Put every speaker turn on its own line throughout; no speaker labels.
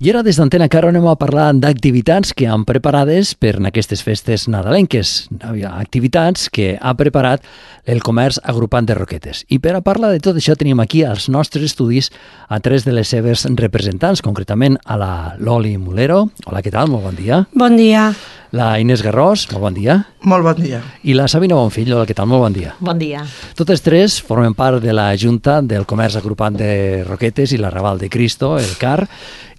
I ara des d'Antena Caro anem a parlar d'activitats que han preparades per aquestes festes nadalenques, activitats que ha preparat el comerç agrupant de Roquetes. I per a parlar de tot això tenim aquí als nostres estudis a tres de les seves representants, concretament a la Loli Mulero. Hola, què tal? Molt bon dia.
Bon dia.
La Inés Garrós, molt bon dia.
Molt bon dia.
I la Sabina Bonfill, hola, què tal? Molt bon dia.
Bon dia.
Totes tres formen part de la Junta del Comerç Agrupant de Roquetes i l'Arrabal de Cristo, el CAR.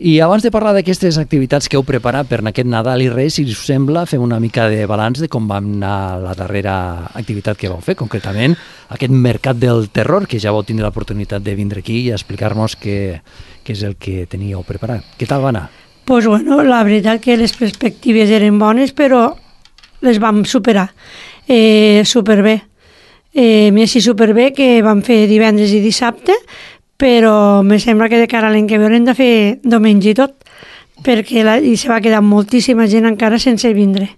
I abans de parlar d'aquestes activitats que heu preparat per aquest Nadal i Reis, si us sembla, fem una mica de balanç de com va anar la darrera activitat que vau fer, concretament aquest Mercat del Terror, que ja vau tindre l'oportunitat de vindre aquí i explicar-nos què és el que teníeu preparat. Què tal va anar?
Pues bueno, la veritat que les perspectives eren bones, però les vam superar superbé. Més i superbé que vam fer divendres i dissabte, però me sembla que de cara a l'any que ve haurem de fer diumenge i tot, perquè i se va quedar moltíssima gent encara sense vindre.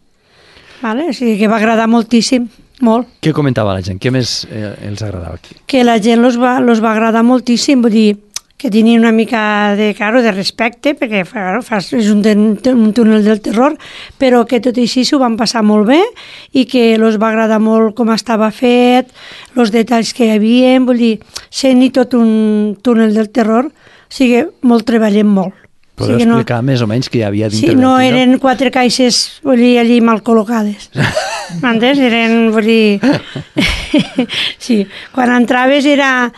Vale? O sigui que va agradar moltíssim, molt.
Què comentava la gent? Què més els agradava aquí?
Que la gent los va agradar moltíssim, vull dir, que tenia una mica de respecte, perquè és un túnel del terror, però que tot i així s'ho van passar molt bé i que els va agradar molt com estava fet, els detalls que hi havia, vull dir, sent i tot un túnel del terror, o sigui, molt treballem molt.
Podeu explicar més o menys què hi havia dintre
del no eren 4 caixes, vull dir, allí mal col·locades. M'entens? Eren, vull dir... sí, quan entraves era...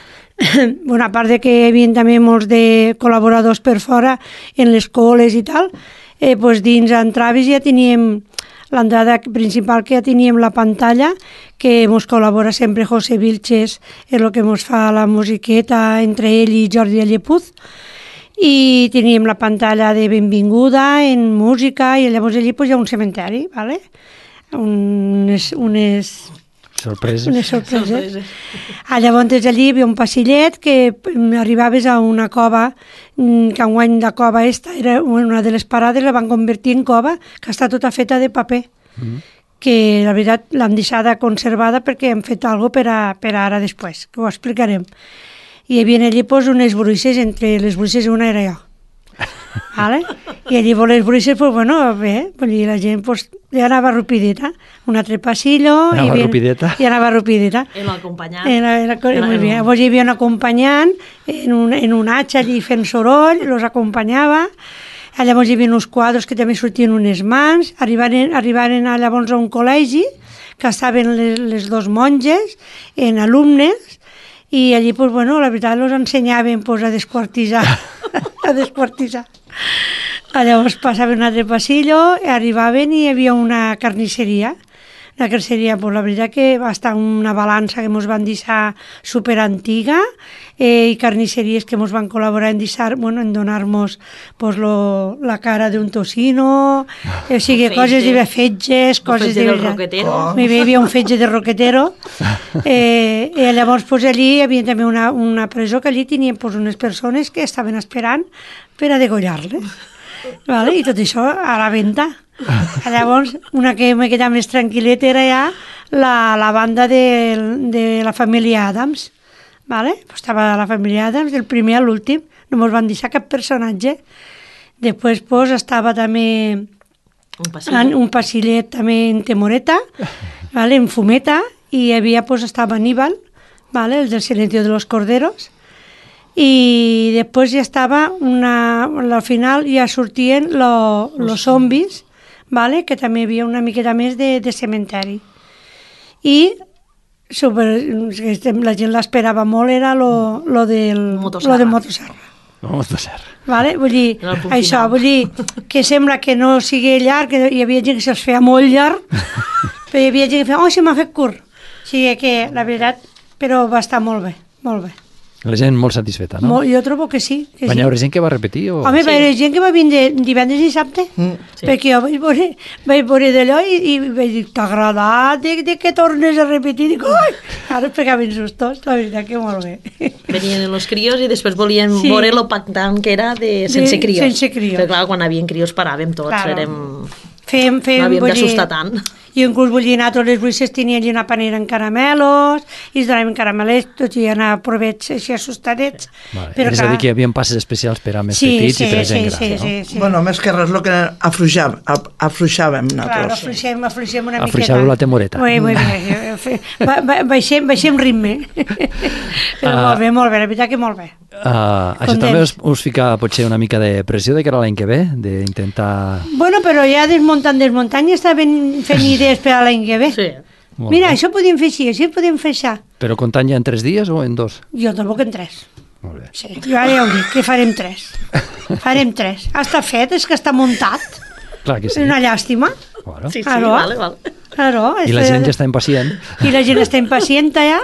Bueno, a part de que hi havia també molts de col·laboradors per fora en les coles i tal, doncs dins entraves ja teníem l'entrada principal, que ja teníem la pantalla, que ens col·labora sempre José Vilches, és el que ens fa la musiqueta entre ell i Jordi Allepuz, i teníem la pantalla de benvinguda en música, i llavors allí hi ha un cementeri, ¿vale? Unes sorpreses. Llavors allí hi havia un passillet que arribaves a una cova, que enguany la cova era una de les parades, la van convertir en cova, que està tota feta de paper, que la veritat l'han deixada conservada perquè hem fet alguna cosa per ara després, que ho explicarem. I hi havia allí unes bruixes, entre les bruixes una era jo. Vale? I allí les bruixes, pues bueno, bé, la gent ja anava rapideta, un altre passillo, i anava rapideta.
I l'acompanyant.
Llavors hi havia un acompanyant en un atxa allí fent soroll, els acompanyava, llavors hi havia uns quadres que també sortien unes mans, arribaren llavors a un col·legi, que estaven les dos monges, en alumnes, i allí, pues bueno, la veritat, els ensenyaven a desquartitzar, Llavors passaven un altre passillo, arribaven i hi havia una carnisseria. La carnisseria, la veritat que va estar una balança que ens van deixar superantiga, i carnisseries que ens van col·laborar en donar-nos la cara d'un tocino, o sigui, coses de fetges, coses de... Hi havia un fetge de roquetero, i llavors allí hi havia també una presó que allí tenien unes persones que estaven esperant per a degollar-les. Vale? I tot això a la venda. Llavors, una que m'he quedat més tranquil·leta era ja la banda de la família Adams. Vale? Estava la família Adams, del primer a l'últim, no ens van deixar cap personatge. Després estava també un passillet també en temoreta, vale? En fumeta, i hi havia, estava Aníbal, vale? El del Silencio de los Corderos, i després ja estava al final ja sortien los zombis, vale? Que també hi havia una miqueta més de cementeri, i la gent l'esperava molt, era lo de Motosserra. Vale? Vull dir, això, que sembla que no sigui llarg, que hi havia gent que se'ls feia molt llarg, però hi havia gent que feia, se m'ha fet curt. O sigui que, la veritat, però va estar molt bé, molt bé.
La gent molt satisfeta, no?
Jo trobo que sí.
Va haver gent que va repetir?
Home, va haver gent que va vindre divendres i dissabte, perquè jo vaig veure d'allò i vaig dir, t'ha agradat de que tornes a repetir? Dic, ui! Ara pegaven sustos, la veritat que molt bé.
Venien els crios i després volien veure lo pactant que era sense crios.
Sense crios.
Però clar, quan havien crios paràvem tots, no havíem d'assustar tant.
I inclús vull dir, anar a totes les bruixes tenien allà una panera en caramelos, i es donaven caramelets, tot i anar a provets així assustadets.
Vale.
Però
És a dir, que hi havia passes especials per a més
sí,
petits i per a gent
sí,
gran, no?
sí.
Bueno, més que res, el que afluixàvem
Clar,
nosaltres.
afluixem una miqueta.
Afluixàveu la temoreta.
Muy bé. Baixem ritme. Però molt bé, la veritat que molt bé.
Això també us fica potser una mica de pressió de cara a l'any que ve, d'intentar...
Bueno, però ja desmuntant, ja estaven fent idees per a l'any que ve.
Sí.
Mira, això podíem fer així podíem fer això.
Però comptant ja en 3 dies o en 2?
Jo tampoc en 3.
Molt bé.
Sí, jo ara ja ho dic, que farem 3. Farem 3. Està fet, és que està muntat.
Clar que sí.
És una llàstima.
Bueno.
Sí,
Claro.
vale.
Claro,
I la gent ja està impacient.
I la gent està impacient ja.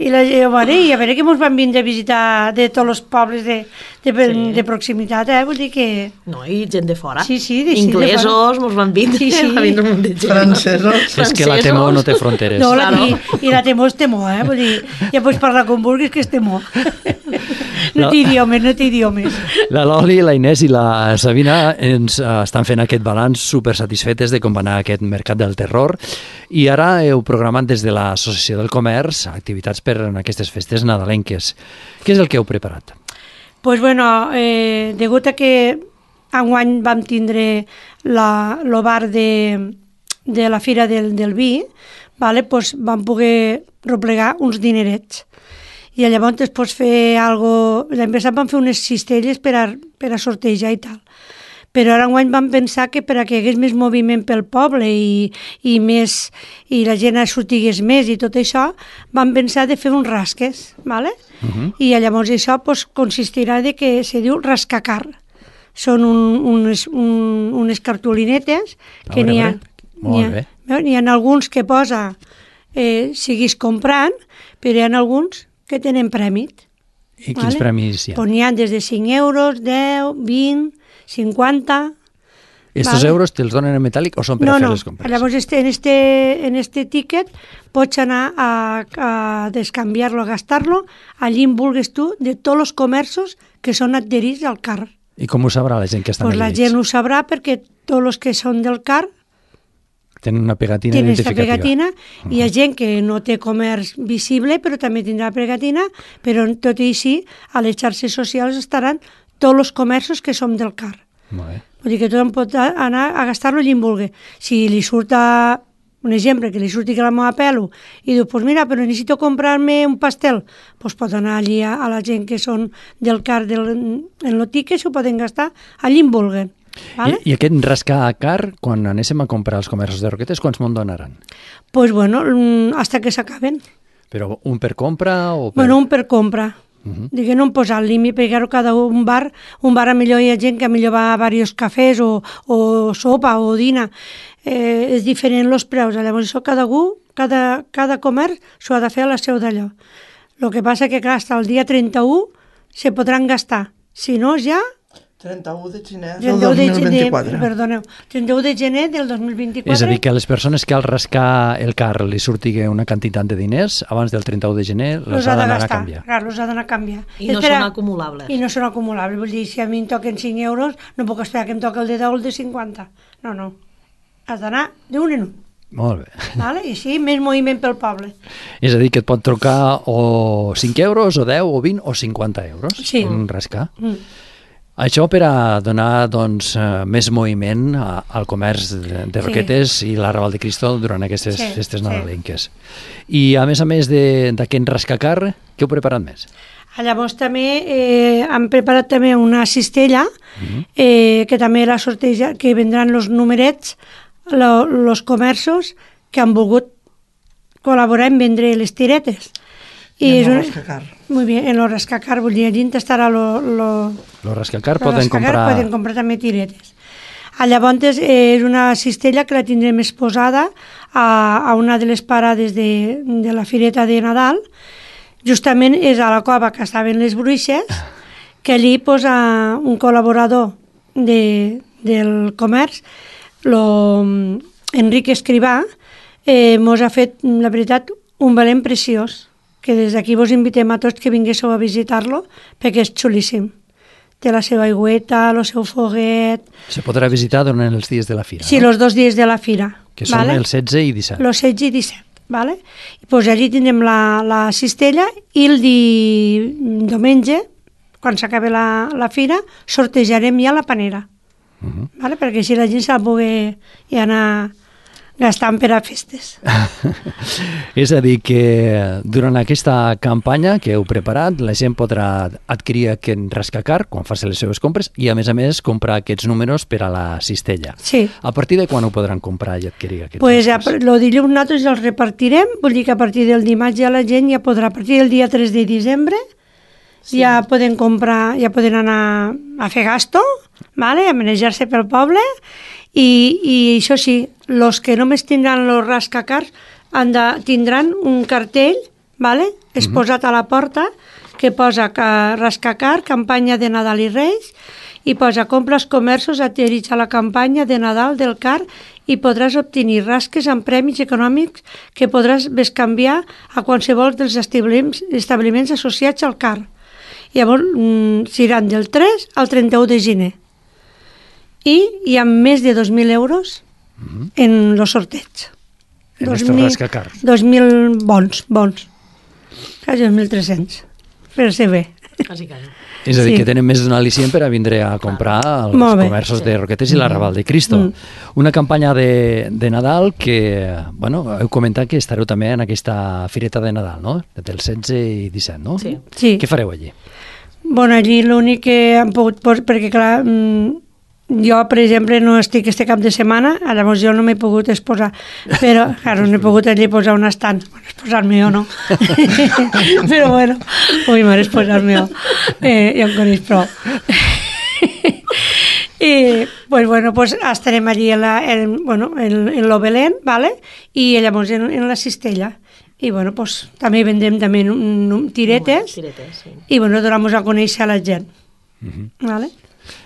I a veure que ens van vindre a visitar de tots els pobles de proximitat, vull dir que...
No, i gent de fora.
Sí,
inglesos, mos van vindre, va vindre un munt de gent.
Francesos.
És que la temor no té fronteres.
No,
Claro.
i la temor és temor, vull dir, ja pots parlar com vulguis que és temor. No té idiomes.
La Loli, la Inés i la Sabina ens estan fent aquest balanç super satisfetes de com va anar aquest mercat del terror i ara heu programat des de l'Associació del Comerç activitats per en aquestes festes nadalenques. Què és el que heu preparat?
Pues bueno, degut a que enguany vam tindre el bar de la Fira del Vi, vale, pues vam poder replegar uns dinerets. I llavors es pots fer algo... L'any passat vam fer unes cistelles per a sortejar i tal. Però ara enguany vam pensar que per a que hi hagués més moviment pel poble i la gent sortigués més i tot això, vam pensar de fer uns rasques, ¿vale? I llavors això pues, consistirà de que se diu rascacar. Són unes cartolinetes que n'hi ha... N'hi ha alguns que posa siguis comprant, però hi ha alguns que tenen prèmit.
I quins premis hi ha?
Pues n'hi ha des de 5 euros, 10, 20, 50...
Estos euros te'ls donen en metàl·lic o són per a fer les compres?
Llavors en este ticket pots anar a descanviar-lo, a gastar-lo allí on vulguis tu, de tots els comerços que són adherits al CAR.
I com ho sabrà la gent que estan
adherits? La gent ho sabrà perquè tots els que són del CAR
tenen una pegatina identificativa.
Pegatina, hi ha gent que no té comerç visible, però també tindrà pegatina, però tot i així, a les xarxes socials estaran tots els comerços que som del CAR.
Molt bé.
Vull dir que tothom pot anar a gastar-lo allí on vulgui. Si li surt un exemple, que li surti que la meva pelo, i diu, pues mira, però necessito comprar-me un pastel, pues pot anar allí a la gent que són del CAR en l'otique, s'ho poden gastar allí on vulguen. Vale?
I aquest rascar a car, quan anéssim a comprar als comerços de Roquetes, quants me'n donaran?
Pues bueno, hasta que s'acaben.
Però un per compra o per...
Bueno, un per compra. Digue, no em posar el límit, perquè cada un bar a millor hi ha gent que a millor va a diversos cafès o sopa o dina. És diferent els preus. Llavors això cada comerç s'ho ha de fer a la seu d'allò. El que passa que clar, fins al dia 31 se podran gastar. Si no, ja...
31 de gener del 2024.
Perdoneu, 31 de gener del 2024.
És a dir, que les persones que al rascar el car li surti una quantitat de diners, abans del 31 de gener els ha d'anar a canviar.
Clar, els ha d'anar a canviar.
I no són acumulables.
I no són acumulables. Vull dir, si a mi em toquen 5 euros, no puc esperar que em toqui el de 10 o el de 50. No. Has d'anar d'un en un.
Molt bé.
Vale? I així, més moviment pel poble.
És a dir, que et pot trucar o 5 euros, o 10, o 20, o 50 euros.
Sí.
Un rascar. Això per a donar doncs, més moviment al comerç de Roquetes i la Raval de Cristo durant aquestes festes nadalenques. I a més d'aquest rascacar, què heu preparat més?
Llavors també hem preparat també una cistella que també la sorteja, que vendran els numerets, els comerços que han volgut col·laborar en vendre les tiretes.
I en el rascacar.
Muy bien, en el rascacar, vull dir, allí estarà
Los rascacar poden comprar...
Poden comprar també tiretes. Llavors és una cistella que la tindrem exposada a una de les parades de la fireta de Nadal. Justament és a la cova que estaven les bruixes, que allí posa un col·laborador del comerç, Enric Escrivà, mos ha fet, la veritat, un valent preciós, que des d'aquí vos invitem a tots que vinguéssiu a visitar-lo, perquè és xulíssim. Té la seva aigüeta, el seu foguet...
Se podrà visitar durant els dies de la fira,
sí,
no?
Els 2 dies de la fira.
Que són el 16 i 17.
El 16 i 17. Vale? I pues allí tindrem la cistella i el diumenge, quan s'acabi la fira, sortejarem ja la panera. Vale? Perquè així la gent se la pugui ja anar gastant per a festes.
És a dir, que durant aquesta campanya que heu preparat, la gent podrà adquirir aquest rascacar quan faci les seves compres i, a més, comprar aquests números per a la cistella.
Sí.
A partir de quan ho podran comprar i adquirir aquests
pues
números?
El dilluns nosaltres els repartirem, vull dir que a partir del dimarts ja la gent ja podrà, a partir del dia 3 de desembre, ja poden comprar, ja poden anar a fer gasto, vale? A manejar-se pel poble, i això sí, els que només tindran els rascacars tindran un cartell, vale? Exposat a la porta, que posa rascacar, campanya de Nadal i Reis, i posa compra als comerços adherits a la campanya de Nadal del CAR i podràs obtenir rasques amb premis econòmics que podràs bescanviar a qualsevol dels establiments associats al CAR. Llavors, seran del 3 al 31 de gener. I hi ha més de 2.000 euros en el sorteig.
En estos rascacars.
2.000 bons. Quasi 2.300. Fer-se bé.
Quasi.
És a dir, que tenen més d'un al·licient per a vindre a comprar als comerços de Roquetes i la Raval de Cristo. Una campanya de Nadal que, bueno, heu comentat que estareu també en aquesta fireta de Nadal, no? Del 16 i 17, no?
Sí.
Què fareu allí?
Bueno, allí l'únic que han pogut... Perquè, clar, jo, per exemple, no estic este cap de setmana, llavors jo no m'he pogut exposar, però, claro, no he pogut allí posar un estant. Bueno, exposar-me jo no. Però, bueno, ui, mare, exposar-me jo. Ja em coneix prou. I, pues estarem allí en lo Belén, ¿vale? I llavors en la cistella. I, bueno, pues també vendrem també tiretes,
sí.
I, bueno, donem a conèixer a la gent. ¿Vale?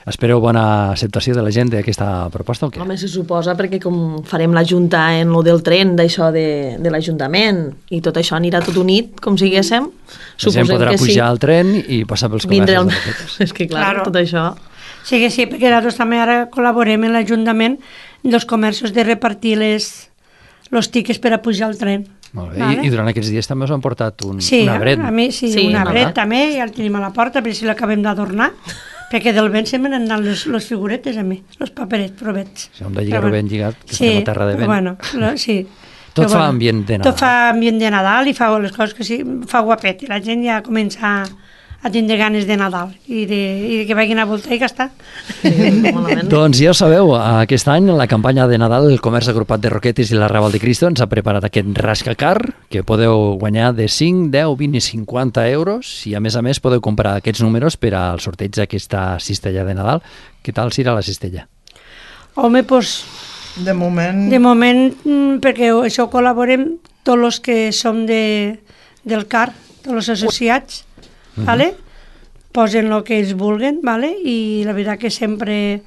Espereu bona acceptació de la gent d'aquesta proposta o què?
Home, se suposa, perquè com farem la junta en lo del tren, d'això de l'Ajuntament, i tot això anirà tot unit, com siguéssim, suposem que sí.
La gent podrà pujar al tren i passar pels comerços de Roquetes.
És que, clar, tot això...
Sí, perquè nosaltres també ara col·laborem en l'Ajuntament dels comerços de repartir els tiquets per a pujar al tren.
Molt bé. Vale. I durant aquests dies també us han portat un arbret.
A mi sí, un arbret també, ja el tenim a la porta, perquè si l'acabem d'adornar, perquè del vent se m'han anat les figuretes a mi, els paperets, provets.
Si hem de lligar-ho ben lligat, que estem a terra de vent.
Bueno, sí.
Tot fa ambient de Nadal.
Tot fa ambient de Nadal i fa les coses que sí, fa guapet, i la gent ja comença a tindre ganes de Nadal i de que vagin a voltar i gastar.
Doncs ja ho sabeu, aquest any la campanya de Nadal el Comerç Agrupat de Roquetes i la Raval de Cristo ens ha preparat aquest rascacar que podeu guanyar de 5, 10, 20 i 50 euros i a més podeu comprar aquests números per al sorteig d'aquesta cistella de Nadal. Què tal serà la cistella?
Home, doncs...
De moment,
perquè això col·laborem tots els que som del CAR, tots els associats, ¿vale? Posen el que ells vulguen, ¿vale? I la veritat que sempre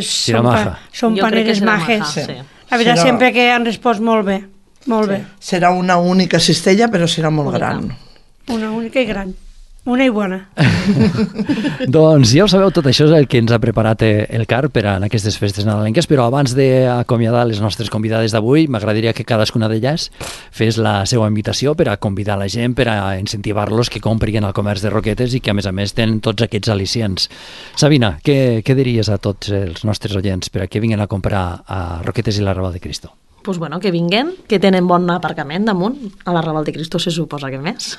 són paneres majes.
Sí.
La veritat sempre que han respost molt bé, molt bé.
Serà una única cistella, però serà molt gran.
Una única i gran. Una i bona.
Doncs ja ho sabeu, tot això és el que ens ha preparat el CAR per a aquestes festes nadalenques, però abans d'acomiadar les nostres convidades d'avui, m'agradaria que cadascuna d'elles fes la seva invitació per a convidar la gent, per a incentivar-los que comprin al comerç de Roquetes i que a més tenen tots aquests al·licients. Sabina, què diries a tots els nostres oients per a que vinguin a comprar a Roquetes i la Raval de Cristo?
Pues bueno, que vinguen, que tenen bon aparcament damunt, a la Raval de Cristo se suposa que més,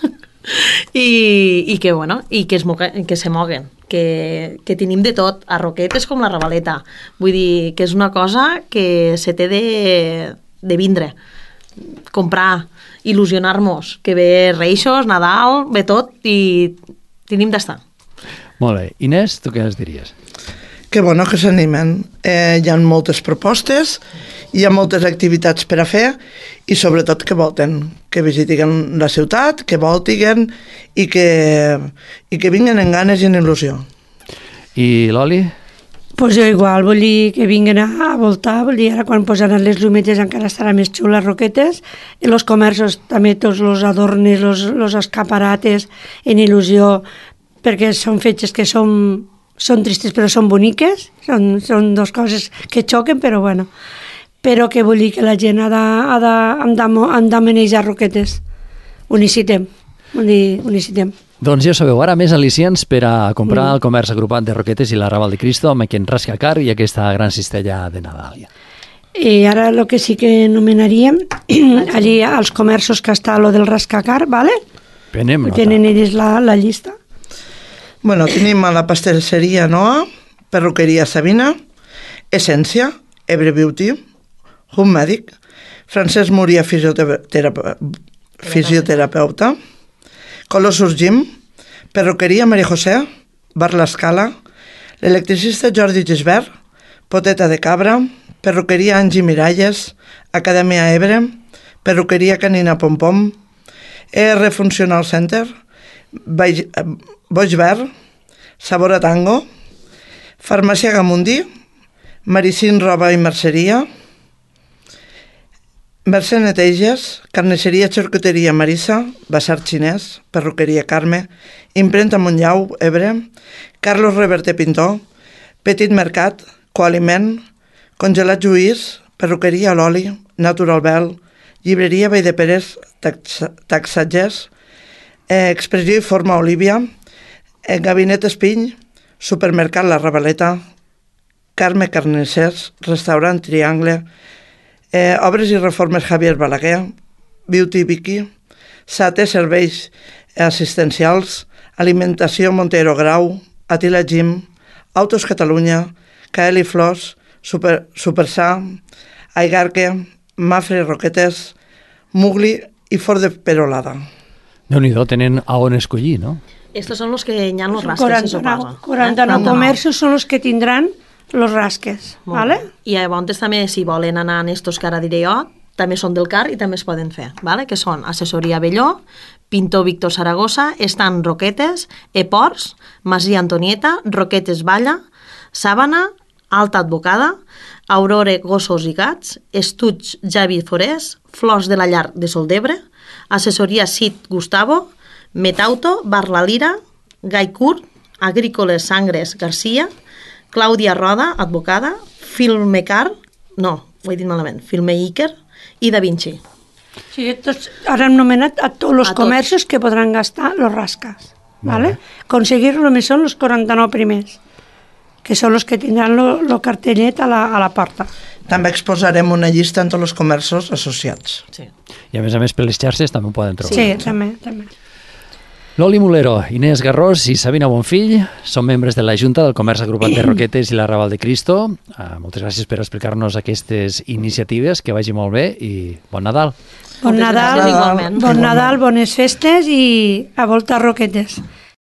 i que, bueno, i que se moguen, que tenim de tot, a Roquetes com la Ravaleta. Vull dir que és una cosa que se té de vindre, comprar, il·lusionar-nos, que ve Reixos, Nadal, ve tot i tenim d'estar.
Molt bé. Inés, tu què ens diries?
Que bueno, que s'animen. Hi ha moltes propostes, hi ha moltes activitats per a fer i sobretot que volten, que visiten la ciutat, que voltiguen i que vinguen en ganes i en il·lusió.
I l'Oli?
Pues jo igual, vull dir que vinguin a voltar, vull dir, ara quan posaran les llumetes encara estarà més xula Roquetes, i els comerços també tots els adornes, els escaparates en il·lusió, perquè són fetges que són tristes però són boniques, són dues coses que xoquen, però bueno. però que vull dir que la gent han de manejar Roquetes. Ho necessitem. Vull dir, ho necessitem.
Doncs ja sabeu, ara més al·licients per a comprar el comerç agrupat de Roquetes i la Raval de Cristo amb aquest rascacar i aquesta gran cistella de Nadal.
I ara el que sí que anomenaríem allí als comerços que està lo del rascacar, ¿vale?
Tenen
ells la llista.
Bueno, tenim a la pastisseria Noa, perruqueria Sabina, Essència, Ebre Beauty, Home Medic, Francesc Múria, fisioterapeuta, Colossus Gym, perruqueria Maria José, Bar l'Escala, l'electricista Jordi Gisbert, Poteta de Cabra, perruqueria Angie Miralles, Acadèmia Ebre, perruqueria Canina Pompom, ER Funcional Center, Boix Verd, Sabor a Tango, Farmàcia Gamundi, Maricín Roba i Merceria, Mercè Neteges, Carnisseria Xarcuteria Marissa, Basar Xinès, Perruqueria Carme, Imprenta Montllau, Ebre, Carlos Reverte Pintor, Petit Mercat, Coaliment, Congelat Lluís, Perruqueria L'Oli, Natural Bell, Llibreria Vall de Pérez, Taxatges, Expressió i Forma Olívia, Gabinet Espiny, Supermercat La Ravaleta, Carme Carnissers, Restaurant Triangle, Obres i Reformes Javier Balaguer, Beauty Vicky, SATE Serveis Assistencials, Alimentació Montero Grau, Atila Gym, Autos Catalunya, KL Flors, Supersà, Aigarque, Mafre Roquetes, Mugli i Fort de Perolada.
Déu-n'hi-do, tenen a on escollir, no?
Estos son los que hi ha los rasques, se suposa.
49 comerços són els que tindran los rasques, ¿vale?
I llavors també, si volen anar en estos que ara diré jo, també són del CAR i també es poden fer, ¿vale? Que són Assessoria Belló, Pintor Víctor Saragossa, Estan Roquetes, Eports, Masia Antonieta, Roquetes Valla, Sàbana, Alta Advocada, Aurore Gossos i Gats, Estuig Javi Forés, Flors de la Llar de Soldebre, Assessoria Cid Gustavo, Metauto, Bar La Lira, Gai Curt, Agrícoles Sangres Garcia, Clàudia Roda, advocada, Filmeiker i Da Vinci.
Sí, ara hem nomenat a tots els comerços que podran gastar los rascas, ¿vale? Conseguir només són els 49 primers, que són els que tindran el cartellet a la porta.
També exposarem una llista en tots els comerços associats.
Sí.
I a més per les xarxes també ho poden trobar.
Sí, també.
Loli Mulero, Inés Garrós i Sabina Bonfill són membres de la Junta del Comerç Agrupat de Roquetes i la Raval de Cristo. Moltes gràcies per explicar-nos aquestes iniciatives, que vagi molt bé i bon Nadal.
Bon Nadal, bones festes i a volta Roquetes.